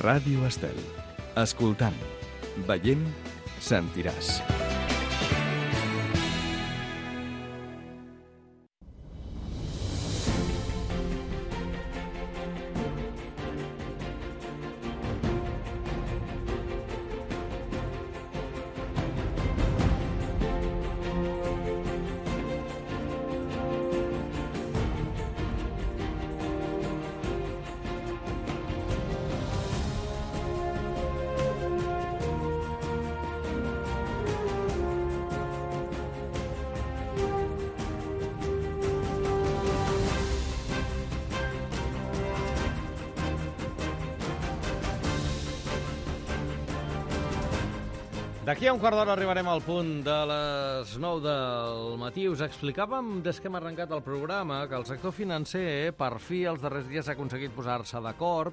Ràdio Estel. Escoltant, veient, sentiràs. D'aquí a un quart d'hora arribarem al punt de les 9 del matí. Us explicàvem, des que hem arrencat el programa, que el sector financer, per fi, els darrers dies ha aconseguit posar-se d'acord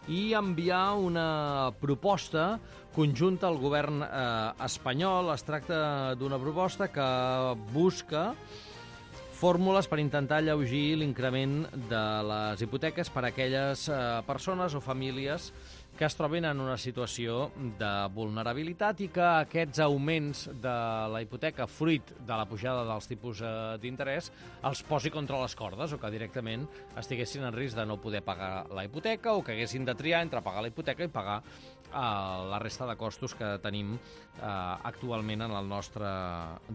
i enviar una proposta conjunta al govern espanyol. Es tracta d'una proposta que busca fórmules per intentar alleugir l'increment de les hipoteques per a aquelles persones o famílies que es trobin en una situació de vulnerabilitat i que aquests augments de la hipoteca, fruit de la pujada dels tipus d'interès, els posi contra les cordes o que directament estiguessin en risc de no poder pagar la hipoteca o que haguessin de triar entre pagar la hipoteca i pagar la resta de costos que tenim actualment en el nostre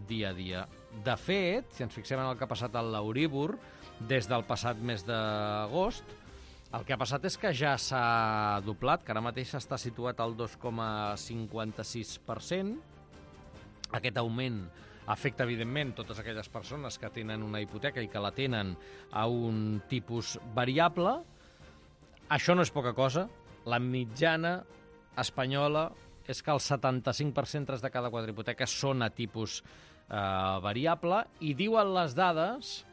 dia a dia. De fet, si ens fixem en el que ha passat a l'Euríbor des del passat mes d'agost, el que ha passat és que ja s'ha doblat, que ara mateix està situat al 2,56%. Aquest augment afecta, evidentment, totes aquelles persones que tenen una hipoteca i que la tenen a un tipus variable. Això no és poca cosa. La mitjana espanyola és que el 75% de cada 4 hipoteques són a tipus variable i diuen les dades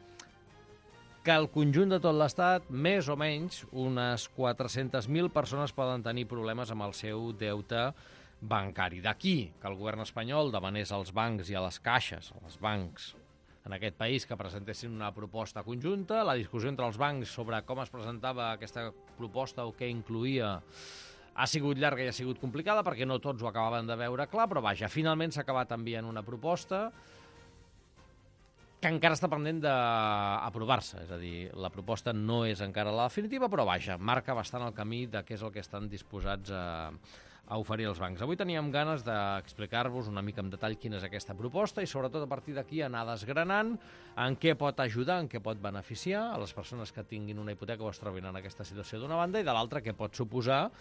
que el conjunt de tot l'Estat, més o menys, unes 400.000 persones poden tenir problemes amb el seu deute bancari. D'aquí que el govern espanyol demanés als bancs i a les caixes, als bancs en aquest país, que presentessin una proposta conjunta. La discussió entre els bancs sobre com es presentava aquesta proposta o què incluïa ha sigut llarga i ha sigut complicada perquè no tots ho acabaven de veure clar, però vaja, finalment s'ha acabat enviant una proposta que encara està pendent d'aprovar-se. És a dir, la proposta no és encara la definitiva, però vaja, marca bastant el camí de què és el que estan disposats a oferir els bancs. Avui teníem ganes d'explicar-vos una mica en detall quina és aquesta proposta i sobretot a partir d'aquí anar desgranant en què pot ajudar, en què pot beneficiar a les persones que tinguin una hipoteca o es trobin en aquesta situació d'una banda i de l'altra què pot suposar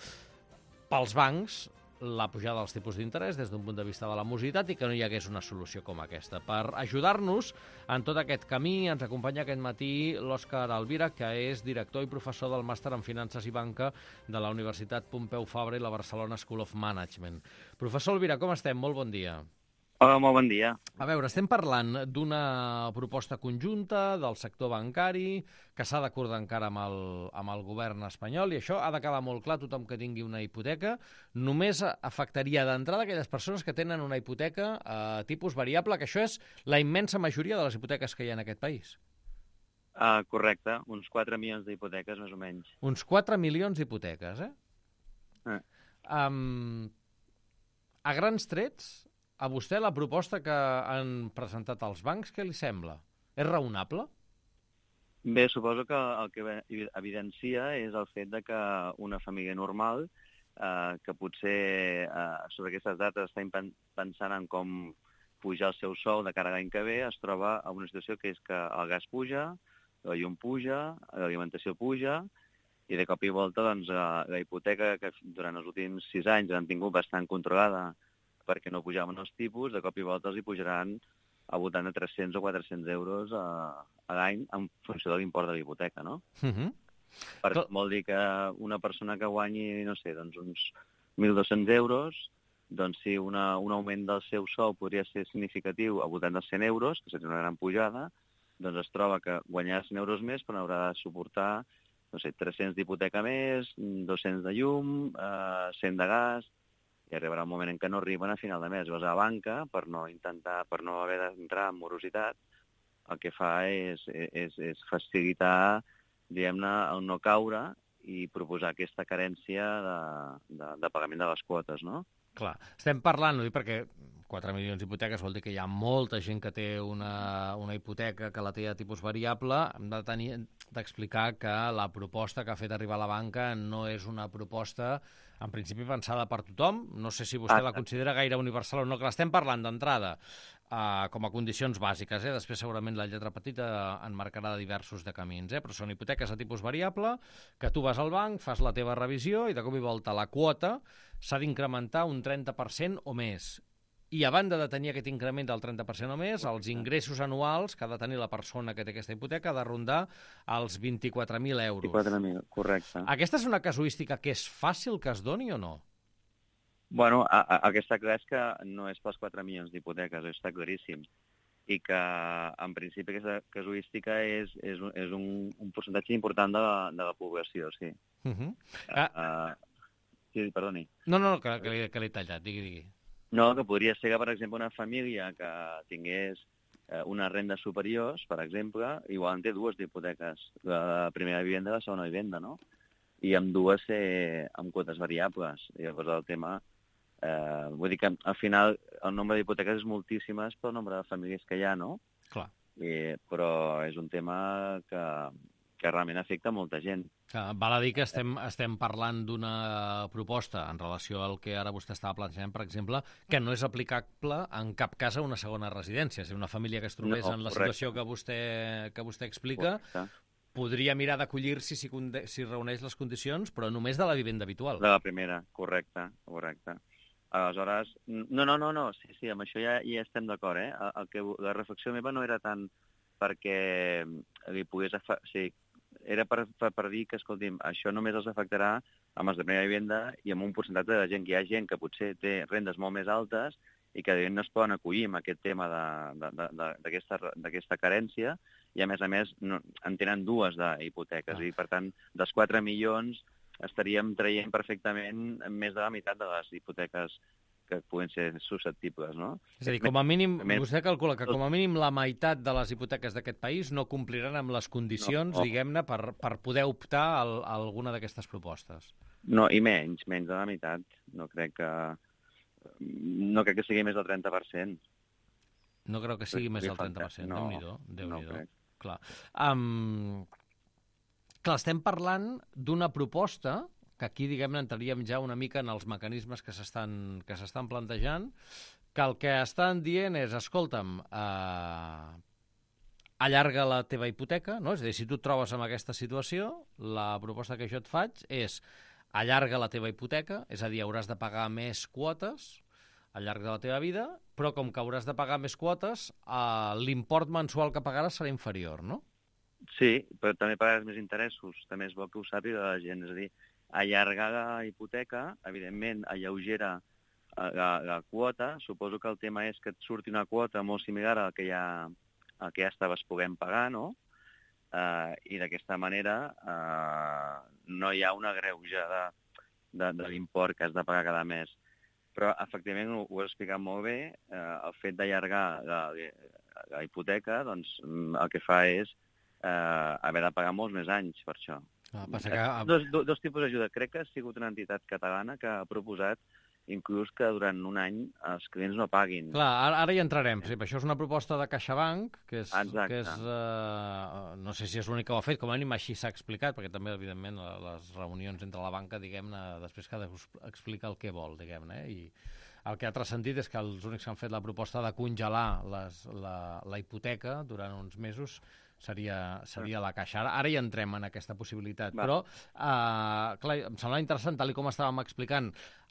pels bancs la pujada dels tipus d'interès des d'un punt de vista de la morositat i que no hi hagués una solució com aquesta. Per ajudar-nos en tot aquest camí ens acompanya aquest matí l'Òscar Alvira, que és director i professor del màster en Finances i Banca de la Universitat Pompeu Fabra i la Barcelona School of Management. Professor Alvira, com estem? Molt bon dia. Hola, molt bon dia. A veure, estem parlant d'una proposta conjunta del sector bancari que s'ha d'acordar encara amb el govern espanyol i això ha de quedar molt clar a tothom que tingui una hipoteca. Només afectaria d'entrada aquelles persones que tenen una hipoteca a tipus variable, que això és la immensa majoria de les hipoteques que hi ha en aquest país. Correcte, uns 4 milions d'hipoteques, més o menys. Uns 4 milions d'hipoteques, A grans trets, a vostè la proposta que han presentat els bancs, què li sembla? És raonable? Bé, suposo que el que evidencia és el fet de que una família normal, que potser sobre aquestes dates està pensant en com pujar el seu sou de cara a l'any que ve, es troba en una situació que és que el gas puja, la llum puja, l'alimentació puja, i de cop i volta doncs, la hipoteca que durant els últims 6 anys han tingut bastant controlada perquè no pujaven els tipus, de cop i volta els hi pujaran al voltant de 300 o 400 euros a l'any en funció de l'import de la hipoteca, no? Perquè vol dir que una persona que guanyi, no sé, doncs uns 1.200 euros, doncs si un augment del seu sou podria ser significatiu al voltant dels 100 euros, que seria una gran pujada, doncs es troba que guanyarà 100 euros més però haurà de suportar, no sé, 300 d'hipoteca més, 200 de llum, 100 de gas, i arribarà un moment en què no arriben a final de mes. Llavors, a la banca, per no haver d'entrar en morositat, el que fa és facilitar, diguem-ne, el no caure i proposar aquesta carència de pagament de les quotes, no? Clar, estem parlant, ho dic perquè 4 milions d'hipoteques vol dir que hi ha molta gent que té una hipoteca que la té a tipus variable. Hem d'explicar que la proposta que ha fet arribar la banca no és una proposta, en principi, pensada per tothom. No sé si vostè la considera gaire universal o no, que l'estem parlant d'entrada com a condicions bàsiques. Després, segurament, la lletra petita en marcarà diversos de camins. Però són hipoteques a tipus variable, que tu vas al banc, fas la teva revisió i de cop i volta la quota s'ha d'incrementar un 30% o més. I a banda de tenir aquest increment del 30% o més, els ingressos anuals que ha de tenir la persona que té aquesta hipoteca ha de rondar els 24.000 euros. 24.000, correcte. Aquesta és una casuística que és fàcil que es doni o no? Bueno, el que està clar és que no és pels 4 milions d'hipoteques, està claríssim. I que, en principi, aquesta casuística és un percentatge important de la població, sí. Sí, perdoni. No, que l'he tallat, digui. No, que podria ser que, per exemple, una família que tingués unes rendes superiors, per exemple, igual en té dues d'hipoteques, la primera vivenda i la segona vivenda, no? I amb dues amb quotes variables. I llavors el tema... vull dir que al final el nombre d'hipoteques és moltíssimes pel nombre de famílies que hi ha, no? Clar. Però és un tema que realment afecta molta gent. Val a dir que estem parlant d'una proposta en relació al que ara vostè estava plantejant, per exemple, que no és aplicable en cap cas a una segona residència. Si una família que es trobés en la situació que vostè explica, podria mirar d'acollir-s'hi si reuneix les condicions, però només de la vivenda habitual. De la primera, correcte. Aleshores, no, sí, amb això ja estem d'acord, La reflexió meva no era tant perquè li pogués... era per dir que, escolti'm, això només els afectarà amb els de primera vivenda i amb un percentatge de gent, que hi ha gent que potser té rendes molt més altes i que no es poden acollir amb aquest tema d'aquesta carència i, a més, en tenen dues d'hipoteques. I, per tant, dels 4 milions estaríem traient perfectament més de la meitat de les hipoteques que poden ser susceptibles, no? És a dir, com a mínim, vostè calcula que com a mínim la meitat de les hipoteques d'aquest país no compliran amb les condicions, diguem-ne, per poder optar a alguna d'aquestes propostes. No, i menys de la meitat. No crec que sigui més del 30%. No crec que sigui més del 30%. Déu-n'hi-do. Clar. Clar, estem parlant d'una proposta que aquí, diguem-ne, entraríem ja una mica en els mecanismes que s'estan plantejant, que el que estan dient és, escolta'm, allarga la teva hipoteca, no? És a dir, si tu et trobes en aquesta situació, la proposta que jo et faig és allarga la teva hipoteca, és a dir, hauràs de pagar més quotes al llarg de la teva vida, però com que hauràs de pagar més quotes, l'import mensual que pagaràs serà inferior, no? Sí, però també pagaràs més interessos. També és bo que ho sàpiga la gent. És a dir, allargar la hipoteca, evidentment, alleugera la quota. Suposo que el tema és que et surti una quota molt similar al que ja estaves podent pagar, no? I d'aquesta manera no hi ha una greuja de l'import que has de pagar cada mes. Però, efectivament, ho has explicat molt bé, el fet d'allargar la hipoteca, doncs, el que fa és haver de pagar molts més anys per això. Dos tipus d'ajuda. Crec que ha sigut una entitat catalana que ha proposat inclús que durant un any els clients no paguin. Clar, ara hi entrarem. Sí, això és una proposta de CaixaBank, que és no sé si és l'únic que ho ha fet, com a mínim així s'ha explicat, perquè també, evidentment, les reunions entre la banca, diguem-ne, després cada explica el que vol, diguem-ne, i el que ha transcendit és que els únics que han fet la proposta de congelar la hipoteca durant uns mesos seria la Caixa. Ara hi entrem en aquesta possibilitat. Però, clar, em sembla interessant, tal com estàvem explicant,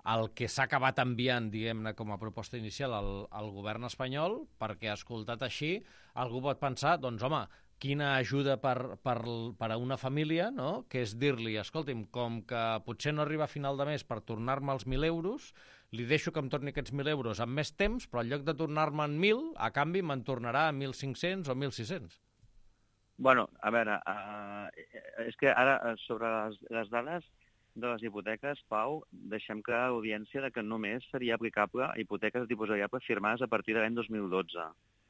el que s'ha acabat enviant, diguem-ne, com a proposta inicial al govern espanyol, perquè, escoltat així, algú pot pensar, doncs, home, quina ajuda per a una família, no?, que és dir-li, escolti'm, com que potser no arriba a final de mes per tornar-me els 1.000 euros, li deixo que em torni aquests 1.000 euros amb més temps, però en lloc de tornar-me en 1.000, a canvi me'n tornarà 1.500 o 1.600. Bueno, a veure, és que ara sobre les dades de les hipoteques, Pau, deixem clar a l'audiència que només seria aplicable a hipoteques de tipus variable firmades a partir de l'any 2012.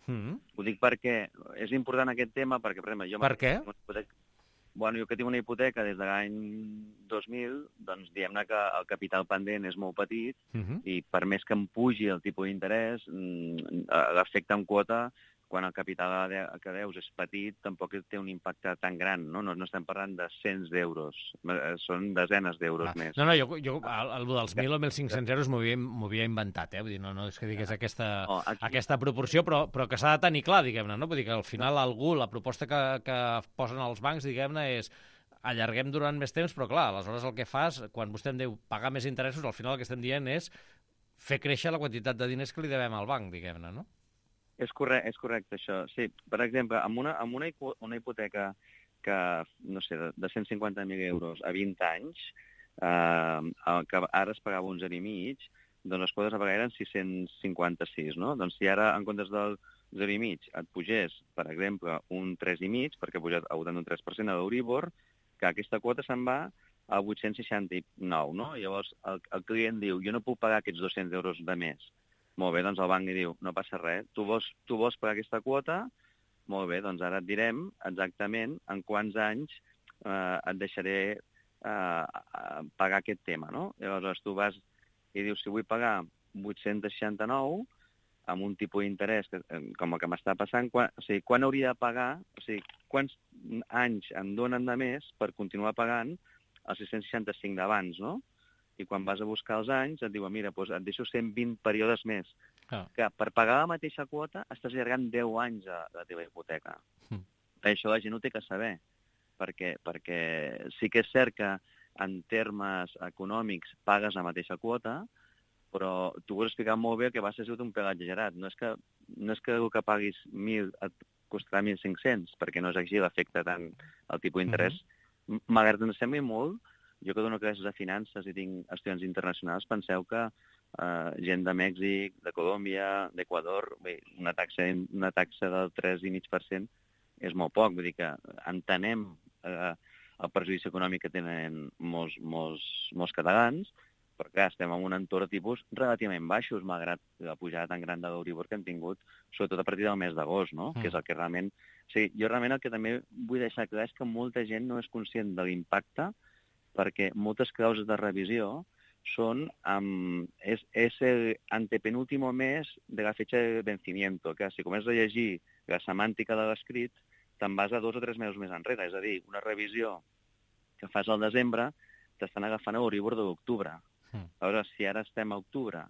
Ho dic perquè és important aquest tema, perquè, per exemple, jo... Per què? bueno, jo que tinc una hipoteca des de l'any 2000, doncs diguem-ne que el capital pendent és molt petit i per més que em pugi el tipus d'interès, l'efecte en quota, quan el capital que deus és petit, tampoc té un impacte tan gran, no? No estem parlant de cents d'euros, són desenes d'euros més. No, jo el dels 1.000 o 1.500 euros m'ho havia inventat, Vull dir, no és que digués aquesta proporció, però que s'ha de tenir clar, diguem-ne, no? Vull dir que al final la proposta que posen els bancs, diguem-ne, és allarguem durant més temps, però clar, aleshores el que fas, quan vostè em diu pagar més interessos, al final el que estem dient és fer créixer la quantitat de diners que li devem al banc, diguem-ne, no? És correcte, això. Sí, per exemple, amb una hipoteca que, no sé, de 150.000 euros a 20 anys, que ara es pagava 11,5, doncs les quotes a pagar eren 656, no? Doncs si ara, en comptes del 0,5, et pugés, per exemple, un 3,5, perquè ha pujat a un 3% a l'Euribor, que aquesta quota se'n va a 869, no? Llavors, el client diu, jo no puc pagar aquests 200 euros de més. Molt bé, doncs el banc li diu, no passa res, tu vols pagar aquesta quota? Molt bé, doncs ara et direm exactament en quants anys et deixaré pagar aquest tema, no? Llavors tu vas i dius, si vull pagar 869 amb un tipus d'interès com el que m'està passant, quan hauria de pagar, quants anys em donen de més per continuar pagant els 665 d'abans, no? I quan vas a buscar els anys et diuen, mira, doncs et deixo 120 períodes més. Que per pagar la mateixa quota estàs allargant 10 anys a la teva hipoteca. Això la gent ho té que saber, perquè sí que és cert que en termes econòmics pagues la mateixa quota, però tu ho has explicat molt bé que va ser un pèl exagerat. No és que el que paguis 1.000 et costarà 1.500, perquè no és així l'efecte tant el tipus d'interès. Malgrat que ens sembli molt, jo que dono classes de finances i tinc estudiants internacionals, penseu que gent de Mèxic, de Colòmbia, d'Equador, una taxa del 3,5% és molt poc. Vull dir que entenem el perjudici econòmic que tenen molts catalans, però clar, estem en un entorn de tipus relativament baixos, malgrat la pujada tan gran de l'Euribor que hem tingut, sobretot a partir del mes d'agost, no? Que és el que realment... Jo realment el que també vull deixar clar és que molta gent no és conscient de l'impacte, perquè moltes clauses de revisió són és el antepenúltimo mes de la fecha de vencimiento, que si comences a llegir la semàntica de l'escrit, te'n vas a 2 o 3 mesos més enrere. És a dir, una revisió que fas al desembre t'estan agafant a l'Euribor de l'octubre. Aleshores, si ara estem a octubre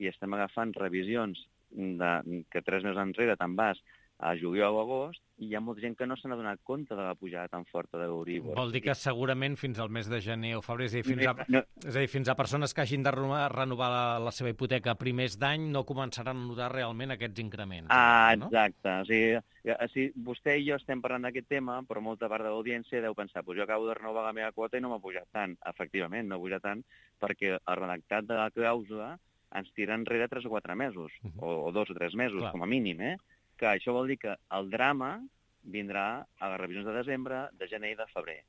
i estem agafant revisions que 3 mesos enrere te'n vas a juliol o agost, i hi ha molta gent que no se n'ha donat compte de la pujada tan forta de l'Euribor. Vol dir que segurament fins al mes de gener o febrer, és a dir, fins a persones que hagin de renovar la seva hipoteca a primers d'any no començaran a notar realment aquests increments. Exacte. O sigui, vostè i jo estem parlant d'aquest tema, però molta part de l'audiència deu pensar, jo acabo de renovar la meva quota i no m'ha pujat tant. Efectivament, no ha pujat tant perquè el redactat de la clàusula ens tira enrere 3 o 4 mesos, o 2 o 3 mesos, com a mínim, que això vol dir que el drama vindrà a les revisions de desembre, de gener i de febrer.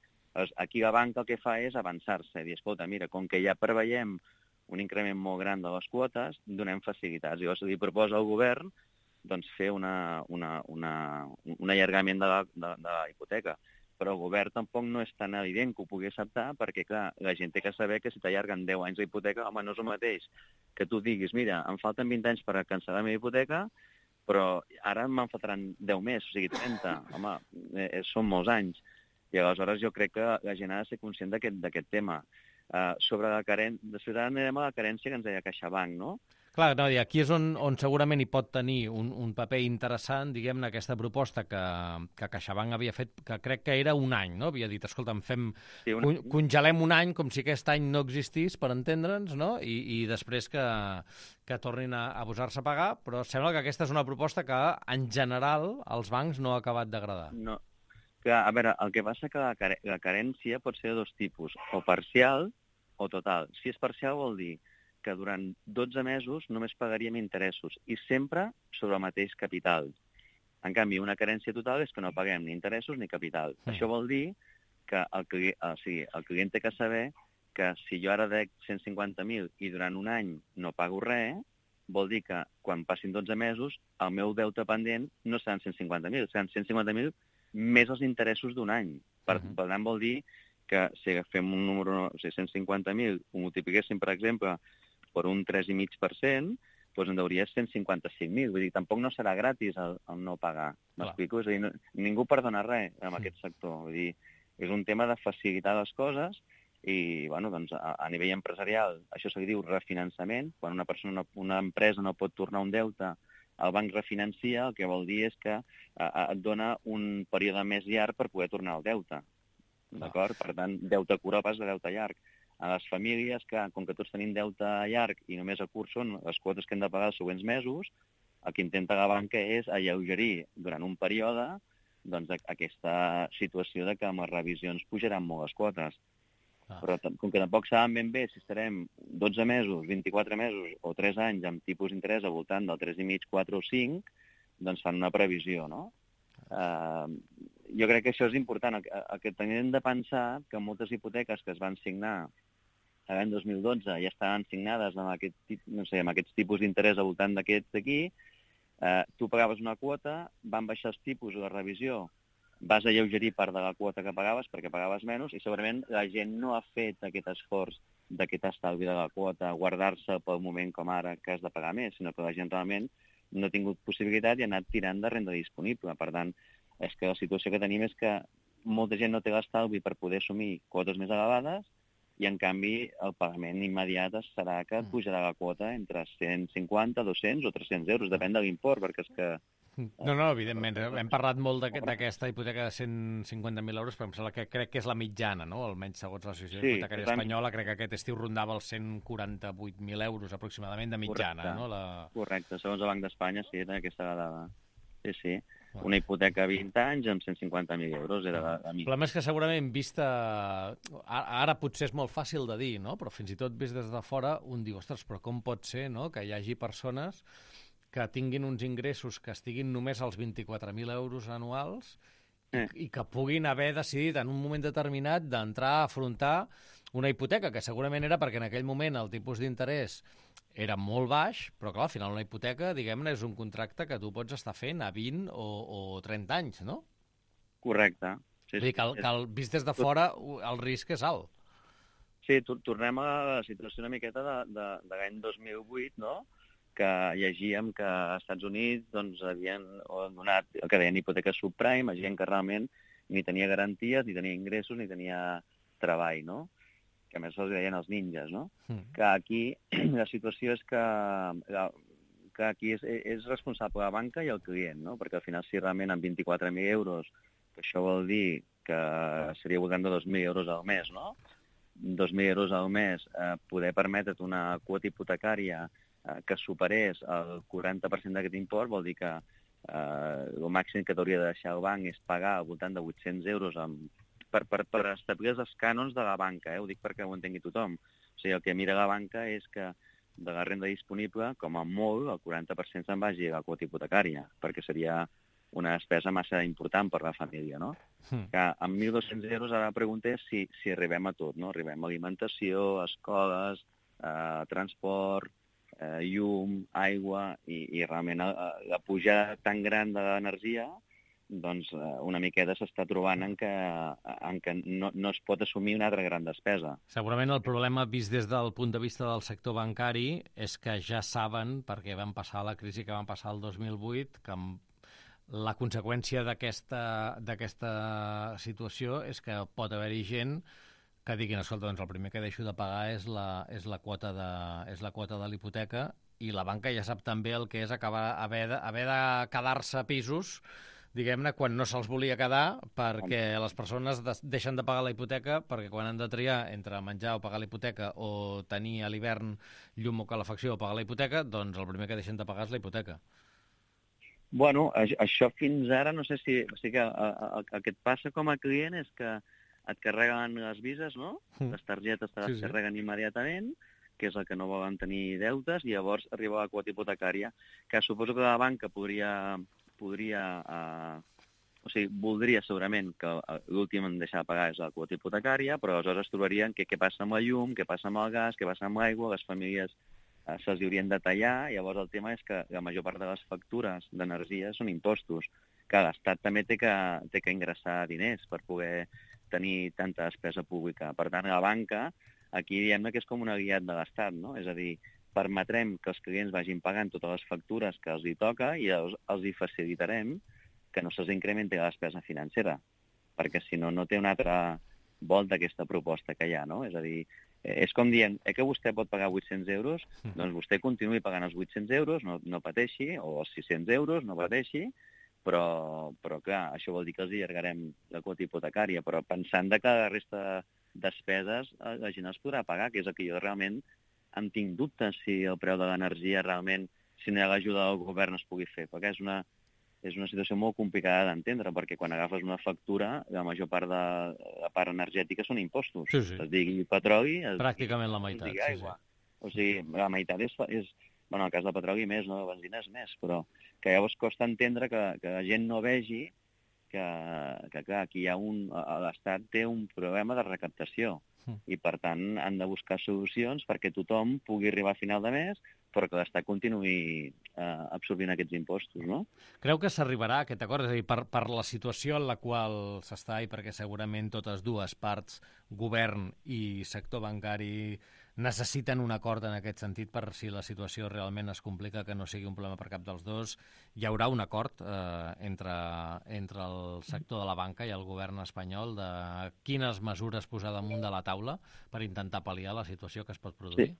Aquí la banca el que fa és avançar-se, dir, escolta, mira, com que ja preveiem un increment molt gran de les quotes, donem facilitats. Llavors li proposa al govern fer un allargament de la hipoteca. Però el govern tampoc no és tan evident que ho pugui acceptar, perquè, clar, la gent té que saber que si t'allarguen 10 anys d'hipoteca, home, no és el mateix que tu diguis, mira, em falten 20 anys per cancel·lar la meva hipoteca, però ara me'n faltaran 10 més, o sigui, 30. Home, són molts anys. I aleshores jo crec que la gent ha de ser conscient d'aquest tema. Sobre la carència, després ara anirem a la carència que ens deia CaixaBank, no? Clar, no, i aquí és on segurament hi pot tenir un paper interessant, diguem-ne, aquesta proposta que CaixaBank havia fet, que crec que era un any, no? Havia dit, escolta, congelem un any com si aquest any no existís, per entendre'ns, no? I després que tornin a posar-se a pagar, però sembla que aquesta és una proposta que, en general, als bancs no ha acabat d'agradar. No. Clar, a veure, el que passa que la carència pot ser de dos tipus, o parcial o total. Si és parcial vol dir que durant 12 mesos només pagaríem interessos i sempre sobre el mateix capital. En canvi, una carència total és que no paguem ni interessos ni capital. Això vol dir que el client té que saber que si jo ara dec 150.000 i durant un any no pago res, vol dir que quan passin 12 mesos el meu deute pendent no seran 150.000, seran 150.000 més els interessos d'un any. Per tant, vol dir que si agafem un número, 150.000, ho multipliquéssim, per exemple, per un 3,5%, doncs en hauria 155.000. Vull dir, tampoc no serà gratis el no pagar. M'explico? És a dir, ningú perdona res en aquest sector. Vull dir, és un tema de facilitar les coses i, bueno, doncs, a nivell empresarial, això se li diu refinançament. Quan una empresa no pot tornar un deute, el banc refinancia, el que vol dir és que et dona un període més llarg per poder tornar el deute. D'acord? Per tant, deute curt pas de deute llarg. A les famílies que, com que tots tenim deute llarg i només a curt són les quotes que hem de pagar els següents mesos, el que intenta la banca és alleugerir durant un període doncs, aquesta situació de que amb les revisions pujaran molt les quotes. Però com que tampoc saben ben bé si estarem 12 mesos, 24 mesos o 3 anys amb tipus d'interès al voltant del 3,5, 4 o 5, doncs fan una previsió, no? Jo crec que això és important. El que tenim de pensar que moltes hipoteques que es van signar l'any 2012 ja estaven signades amb aquests tipus d'interès al voltant d'aquests d'aquí, tu pagaves una quota, van baixar els tipus o la revisió, vas alleugerir part de la quota que pagaves perquè pagaves menys i segurament la gent no ha fet aquest esforç d'aquest estalvi de la quota, guardar-se pel moment com ara que has de pagar més, sinó que la gent realment no ha tingut possibilitat i ha anat tirant de renda disponible. Per tant, és que la situació que tenim és que molta gent no té l'estalvi per poder assumir quotes més elevades i, en canvi, el pagament immediat serà que et pujarà la quota entre 150, 200 o 300 euros, depèn de l'import, perquè és que... No, evidentment. Hem parlat molt d'aquesta hipoteca de 150.000 euros, però em sembla que crec que és la mitjana, no? Almenys segons l'associació hipotecària espanyola, crec que aquest estiu rondava els 148.000 euros aproximadament de mitjana, no? Correcte, segons el Banc d'Espanya, sí, era aquesta dada. Sí. Una hipoteca a 20 anys amb 150.000 euros era la mitjana. El problema és que segurament vista... Ara potser és molt fàcil de dir, no? Però fins i tot vist des de fora un diu, ostres, però com pot ser, no?, que hi hagi persones que tinguin uns ingressos que estiguin només als 24.000 euros anuals i que puguin haver decidit en un moment determinat d'entrar a afrontar una hipoteca, que segurament era perquè en aquell moment el tipus d'interès era molt baix, però clar, al final una hipoteca, diguem-ne, és un contracte que tu pots estar fent a 20 o 30 anys, no? Correcte. Sí, vull dir que vist des de fora el risc és alt. Sí, tornem a la situació una miqueta de l'any 2008, no?, que llegíem que als Estats Units doncs, havien donat el que deien hipoteques subprime a gent que realment ni tenia garanties, ni tenia ingressos, ni tenia treball, no? Que a més els deien els ninjas, no? Que aquí la situació és que aquí és responsable la banca i el client, no? Perquè al final si realment amb 24.000 euros, que això vol dir que seria voltant de 2.000 euros al mes, no? 2.000 euros al mes, poder permetre't una quota hipotecària que superés el 40% d'aquest import vol dir que el màxim que t'hauria de deixar el banc és pagar al voltant de 800 euros per establir els cànons de la banca, ho dic perquè ho entengui tothom. O sigui, el que mira la banca és que de la renda disponible, com a molt, el 40% se'n vagi a la quota hipotecària, perquè seria una despesa massa important per la família, no? Que amb 1.200 euros ara la pregunta és si arribem a tot, no? Arribem a alimentació, escoles, transport, llum, aigua i realment la pujada tan gran de l'energia doncs una miqueta s'està trobant en què no es pot assumir una altra gran despesa. Segurament el problema vist des del punt de vista del sector bancari és que ja saben, perquè van passar la crisi que van passar el 2008, que la conseqüència d'aquesta situació és que pot haver-hi gent que diguin, escolta, doncs el primer que deixo de pagar és la quota de l'hipoteca i la banca ja sap també el que és haver de quedar-se a pisos, diguem-ne, quan no se'ls volia quedar perquè les persones deixen de pagar la hipoteca perquè quan han de triar entre menjar o pagar la hipoteca o tenir a l'hivern llum o calefacció o pagar la hipoteca, doncs el primer que deixen de pagar és la hipoteca. Bueno, això fins ara no sé si... O sigui que el que et passa com a client és que et carreguen les vises, no? Les targetes te les carreguen immediatament, que és el que no volen tenir deutes, i llavors arriba la quota hipotecària, que suposo que la banca voldria segurament que l'últim en deixar de pagar és la quota hipotecària, però aleshores es trobarien què passa amb la llum, què passa amb el gas, què passa amb l'aigua, les famílies se'ls haurien de tallar, llavors el tema és que la major part de les factures d'energia són impostos, que l'Estat també té que ingressar diners per poder tenir tanta despesa pública. Per tant, la banca, aquí diem que és com una guiat de l'Estat, no? És a dir, permetrem que els clients vagin pagant totes les factures que els hi toca i els hi facilitarem que no se'ls incrementi la despesa financera, perquè si no, no té una altra volta aquesta proposta que hi ha, no? És a dir, és com dient, que vostè pot pagar 800 euros, doncs vostè continuï pagant els 800 euros, no pateixi, o els 600 euros, no pateixi, però clar, això vol dir que els allargarem la quota hipotecària, però pensant que la resta de despeses la gent els podrà pagar, que és el que jo realment em tinc dubtes si el preu de l'energia realment, si no hi ha l'ajuda del govern es pugui fer, perquè és una situació molt complicada d'entendre, perquè quan agafes una factura, la major part de la part energètica són impostos. Sí. Es digui petroli... Pràcticament la meitat, es digui aigua. O sigui, la meitat és... Bueno, en el cas de petroli més, no? De benzina és més, però que llavors costa entendre que la gent no vegi que clar, aquí hi ha l'Estat té un problema de recaptació i, per tant, han de buscar solucions perquè tothom pugui arribar a final de mes, però que l'Estat continuï absorbint aquests impostos, no? Creu que s'arribarà a aquest acord? És a dir, per la situació en la qual s'està i perquè segurament totes dues parts, govern i sector bancari, necessiten un acord en aquest sentit per si la situació realment es complica, que no sigui un problema per cap dels dos. Hi haurà un acord entre el sector de la banca i el govern espanyol de quines mesures posar damunt de la taula per intentar pal·liar la situació que es pot produir? Sí.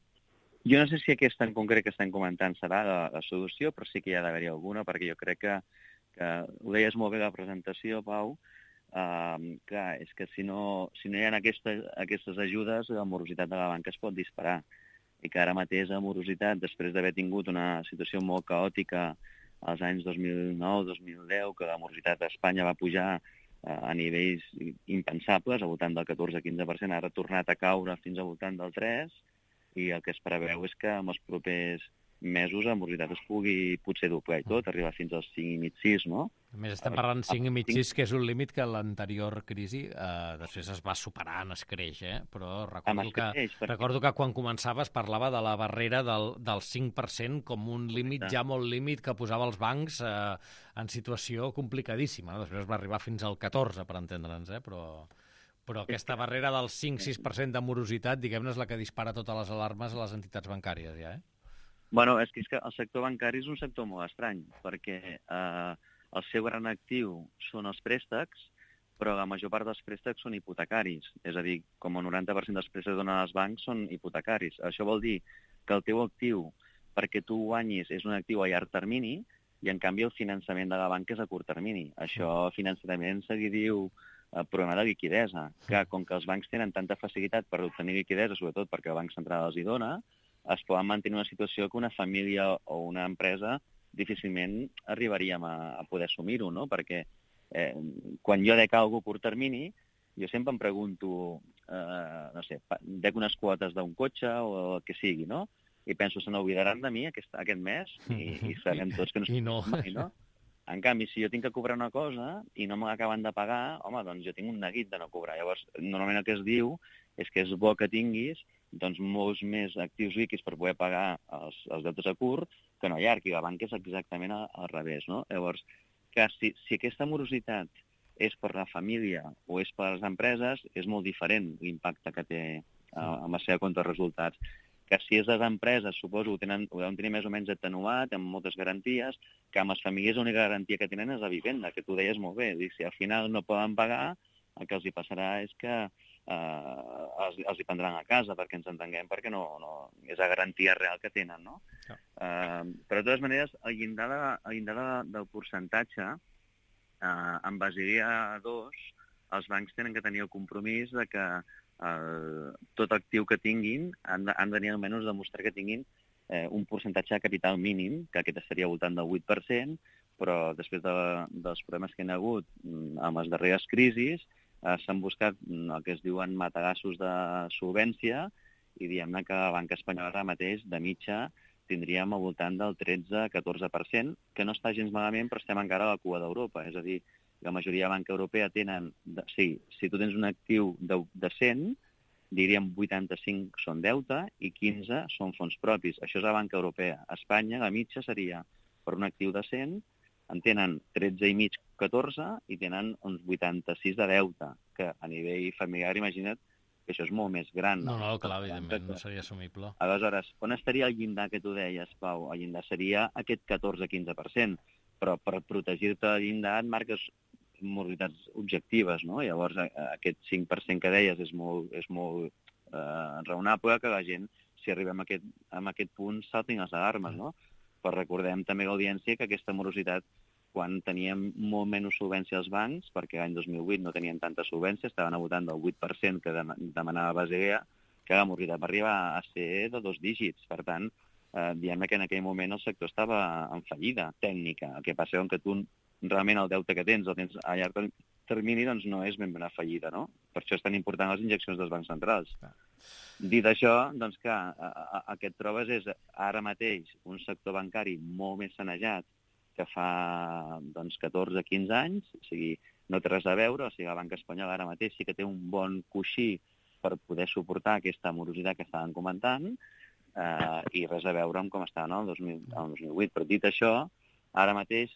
Jo no sé si aquesta en concret que estem comentant serà la solució, però sí que hi ha d'haver-hi alguna, perquè jo crec que ho deies molt bé a la presentació, Pau, clar, és que si no hi ha aquestes ajudes, la morositat de la banca es pot disparar. I que ara mateix la morositat, després d'haver tingut una situació molt caòtica als anys 2009-2010, que la morositat a Espanya va pujar a nivells impensables, al voltant del 14-15%, ara ha tornat a caure fins al voltant del 3%, i el que es preveu és que en els propers mesos la morositat es pugui potser doblar i tot, arribar fins als 5,5-6, no? A més, estem parlant 5,5-6, que és un límit que l'anterior crisi després es va superant, es creix, però recordo que quan començava es parlava de la barrera del 5% com un límit ja molt límit que posava els bancs en situació complicadíssima. Després va arribar fins al 14%, per entendre'ns, però aquesta barrera del 5-6% de morositat, diguem-ne, és la que dispara totes les alarmes a les entitats bancàries, ja, Bueno, és que el sector bancari és un sector molt estrany, perquè el seu gran actiu són els préstecs, però la major part dels préstecs són hipotecaris. És a dir, com el 90% dels préstecs que donen els bancs són hipotecaris. Això vol dir que el teu actiu, perquè tu guanyis, és un actiu a llarg termini, i en canvi el finançament de la banca és a curt termini. Això financerament se li diu problema de liquidesa, que com que els bancs tenen tanta facilitat per obtenir liquidesa, sobretot perquè el Banc Central els hi dona, es poden mantenir una situació que una família o una empresa difícilment arribaríem a poder assumir-ho, no? Perquè quan jo dec alguna cosa a curt termini, jo sempre em pregunto, no sé, dec unes quotes d'un cotxe o el que sigui, no? I penso, se n'oblidaran de mi aquest mes i sabem tots que no mai, no? En canvi, si jo tinc que cobrar una cosa i no me l'acaben de pagar, home, doncs jo tinc un neguit de no cobrar. Llavors, normalment el que es diu és que és bo que tinguis doncs, molts més actius líquids per poder pagar els deutes a curt que no a llarg, i la banca és exactament al revés, no? Llavors, que si aquesta morositat és per la família o és per les empreses, és molt diferent l'impacte que té amb la seva compte de resultats. Que si és les empreses, suposo, ho deuen tenir més o menys atenuat, amb moltes garanties, que amb les famílies l'única garantia que tenen és la vivenda, que tu deies molt bé. Si al final no poden pagar, el que els hi passarà és que els hi prendran a casa, perquè ens entenguem, perquè no és la garantia real que tenen, no? Però de totes maneres, el llindar del percentatge, en Basilea 2, els bancs tenen que tenir el compromís de que tot actiu que tinguin han de tenir almenys demostrar que tinguin un percentatge de capital mínim, que aquest estaria al voltant del 8%, però després dels problemes que hi ha hagut amb les darreres crisis, s'han buscat el que es diuen matagassos de solvència i diguem-ne que la banca espanyola ara mateix, de mitja, tindríem al voltant del 13-14%, que no està gens malament, però estem encara a la cua d'Europa. És a dir, la majoria de banca europea tenen... si tu tens un actiu de 100, diríem 85 són deute i 15 són fons propis. Això és la banca europea. A Espanya, la mitja seria per un actiu de 100, en tenen 13,5, 14 i tenen uns 86 de deute, que a nivell familiar, imagina't, que això és molt més gran. No, clar, evidentment, no seria assumible. Aleshores, on estaria el llindar que tu deies, Pau? El llindar seria aquest 14-15%, però per protegir-te del llindar et marques morositats objectives, no? Llavors, aquest 5% que deies és molt raonable que la gent, si arribem a aquest punt, saltin les alarmes, no? Però recordem també l'audiència que aquesta morositat, quan teníem molt menys solvència als bancs, perquè l'any 2008 no tenien tanta solvència, estaven votant del 8% que demanava Basilea, que la morositat va arribar a ser de 2 dígits. Per tant, diguem que en aquell moment el sector estava en fallida tècnica. El que passa és que tu realment el deute que tens, el tens a llarg termini, doncs no és ben bé una fallida, no? Per això és tan important les injeccions dels bancs centrals. Dit això, doncs clar, el que et trobes és ara mateix un sector bancari molt més sanejat que fa 14-15 anys, o sigui, no té res a veure, o sigui, la banca espanyola ara mateix sí que té un bon coixí per poder suportar aquesta morositat que estàvem comentant, i res a veure amb com estava el 2008. Però dit això, ara mateix,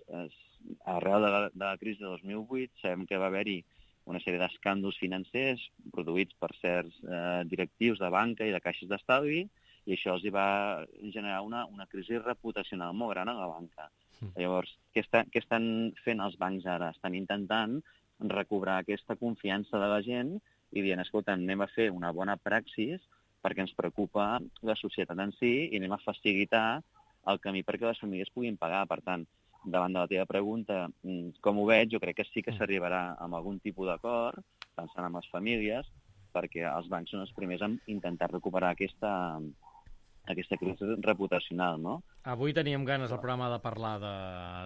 arrel de la crisi de 2008, sabem que va haver-hi una sèrie d'escàndols financers produïts per certs directius de banca i de caixes d'estalvi, i això els va generar una crisi reputacional molt gran a la banca. Llavors, què estan fent els bancs ara? Estan intentant recobrar aquesta confiança de la gent i dient, escolta, anem a fer una bona praxis perquè ens preocupa la societat en si i anem a facilitar el camí perquè les famílies puguin pagar. Per tant, davant de la teva pregunta, com ho veig, jo crec que sí que s'arribarà amb algun tipus d'acord, pensant en les famílies, perquè els bancs són els primers a intentar recuperar aquesta crisi reputacional, no? Avui teníem ganes al programa de parlar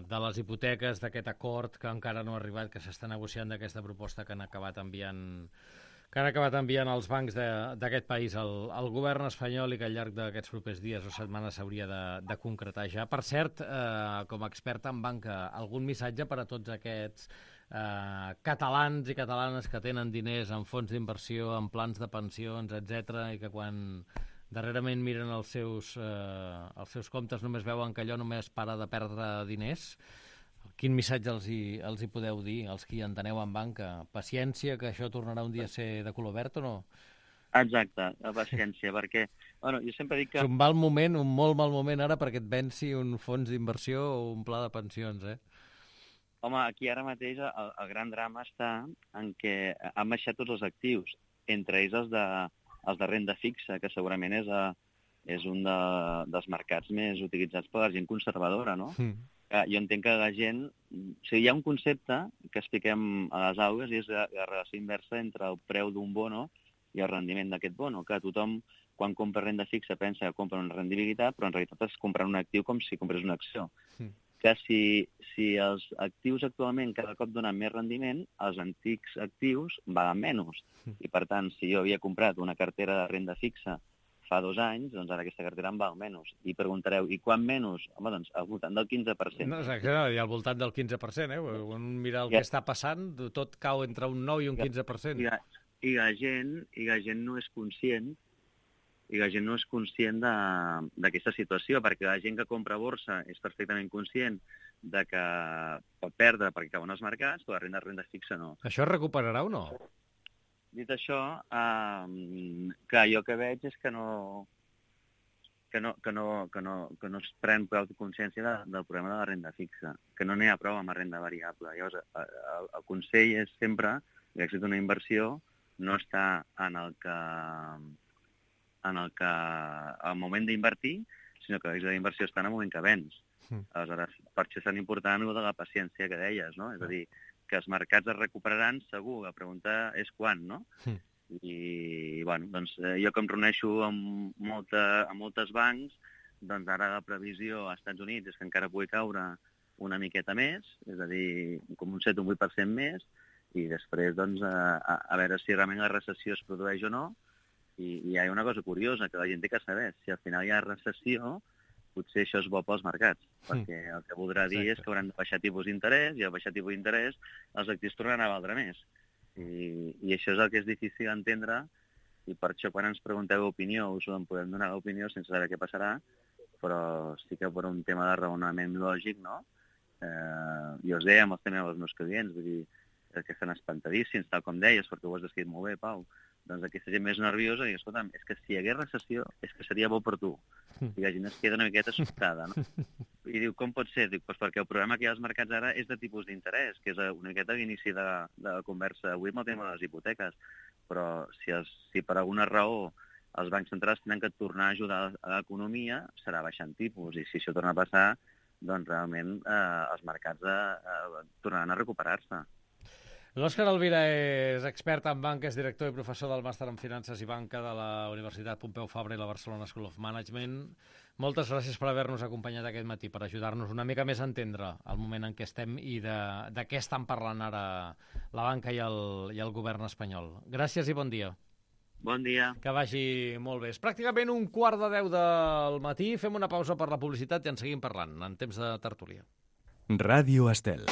de les hipoteques, d'aquest acord que encara no ha arribat, que s'està negociant, d'aquesta proposta que han acabat enviant els bancs d'aquest país al govern espanyol i que al llarg d'aquests propers dies o setmanes s'hauria de concretar ja. Per cert, com a experta en banca, algun missatge per a tots aquests catalans i catalanes que tenen diners en fons d'inversió, en plans de pensions, etc, i que quan darrerament miren els seus comptes només veuen que allò només para de perdre diners? Quin missatge els hi podeu dir, els que hi enteneu en banca? Paciència, que això tornarà un dia a ser de color verd o no? Exacte, la paciència, perquè jo sempre dic que... És un mal moment, un molt mal moment ara perquè et venci un fons d'inversió o un pla de pensions, eh? Home, aquí ara mateix el gran drama està en què han baixat tots els actius, entre ells els de renda fixa, que segurament és un dels mercats més utilitzats per la gent conservadora, no? Jo entenc que la gent... O sigui, hi ha un concepte que expliquem a les aules i és la relació inversa entre el preu d'un bono i el rendiment d'aquest bono, que tothom, quan compra renda fixa, pensa que compra una rendibilitat, però en realitat es compra un actiu com si comprés una acció. Que si els actius actualment cada cop donen més rendiment, els antics actius valen menys. I, per tant, si jo havia comprat una cartera de renda fixa fa 2 anys, doncs ara aquesta cartera en val menys. I preguntareu, i quan menys? Home, doncs al voltant del 15%. No, exacte, i al voltant del 15%, Quan mira el que està passant, tot cau entre un 9 i un 15%. I la gent no és conscient d'aquesta situació, perquè la gent que compra borsa és perfectament conscient de que pot perdre perquè cauen els mercats, però la renda fixa no. Això es recuperarà o no? Dit això, clar, jo que veig és que no es pren prou consciència del problema de la renda fixa, que no n'hi ha prou amb la renda variable. Llavors, el consell és sempre que l'èxit d'una inversió no està en el moment d'invertir, sinó que l'èxit de la inversió està en el moment que vens. Aleshores, per això és tan important el de la paciència que deies, no? És a dir, que els mercats es recuperaran segur, la pregunta és quan, no? I, bueno, doncs jo que em reuneixo amb moltes bancs, doncs ara la previsió als Estats Units és que encara pugui caure una miqueta més, és a dir, com un 7 o un 8% més, i després, doncs, a veure si realment la recessió es produeix o no. I hi ha una cosa curiosa que la gent té que saber, si al final hi ha recessió, potser això és bo pels mercats, perquè el que voldrà dir és que hauran de baixar tipus d'interès, i al baixar tipus d'interès els actius tornaran a valdre més. I això és el que és difícil d'entendre, i per això quan ens pregunteu opinió us en podem donar l'opinió sense saber què passarà, però sí que per un tema de raonament lògic, no? jo els deia també als meus clients, vull dir, que estan espantadíssims, tal com deies, perquè ho has descrit molt bé, Pau. Doncs aquesta gent més nerviosa, i escolta'm, és que si hi hagués recessió, és que seria bo per tu. I la gent es queda una miqueta sobtada, no? I diu, com pot ser? Diu, doncs perquè el problema que hi ha als mercats ara és de tipus d'interès, que és una miqueta l'inici de la conversa avui amb el tema de les hipoteques. Però si per alguna raó els bancs centrals tenen que tornar a ajudar a l'economia, serà baixant tipus. I si això torna a passar, doncs realment els mercats tornaran a recuperar-se. L'Òscar Alvira és expert en banca, és director i professor del Màster en Finances i Banca de la Universitat Pompeu Fabra i la Barcelona School of Management. Moltes gràcies per haver-nos acompanyat aquest matí, per ajudar-nos una mica més a entendre el moment en què estem i de què estan parlant ara la banca i el govern espanyol. Gràcies i bon dia. Bon dia. Que vagi molt bé. És pràcticament 9:45 del matí. Fem una pausa per la publicitat i en seguim parlant, en temps de tertúlia. Ràdio Estel.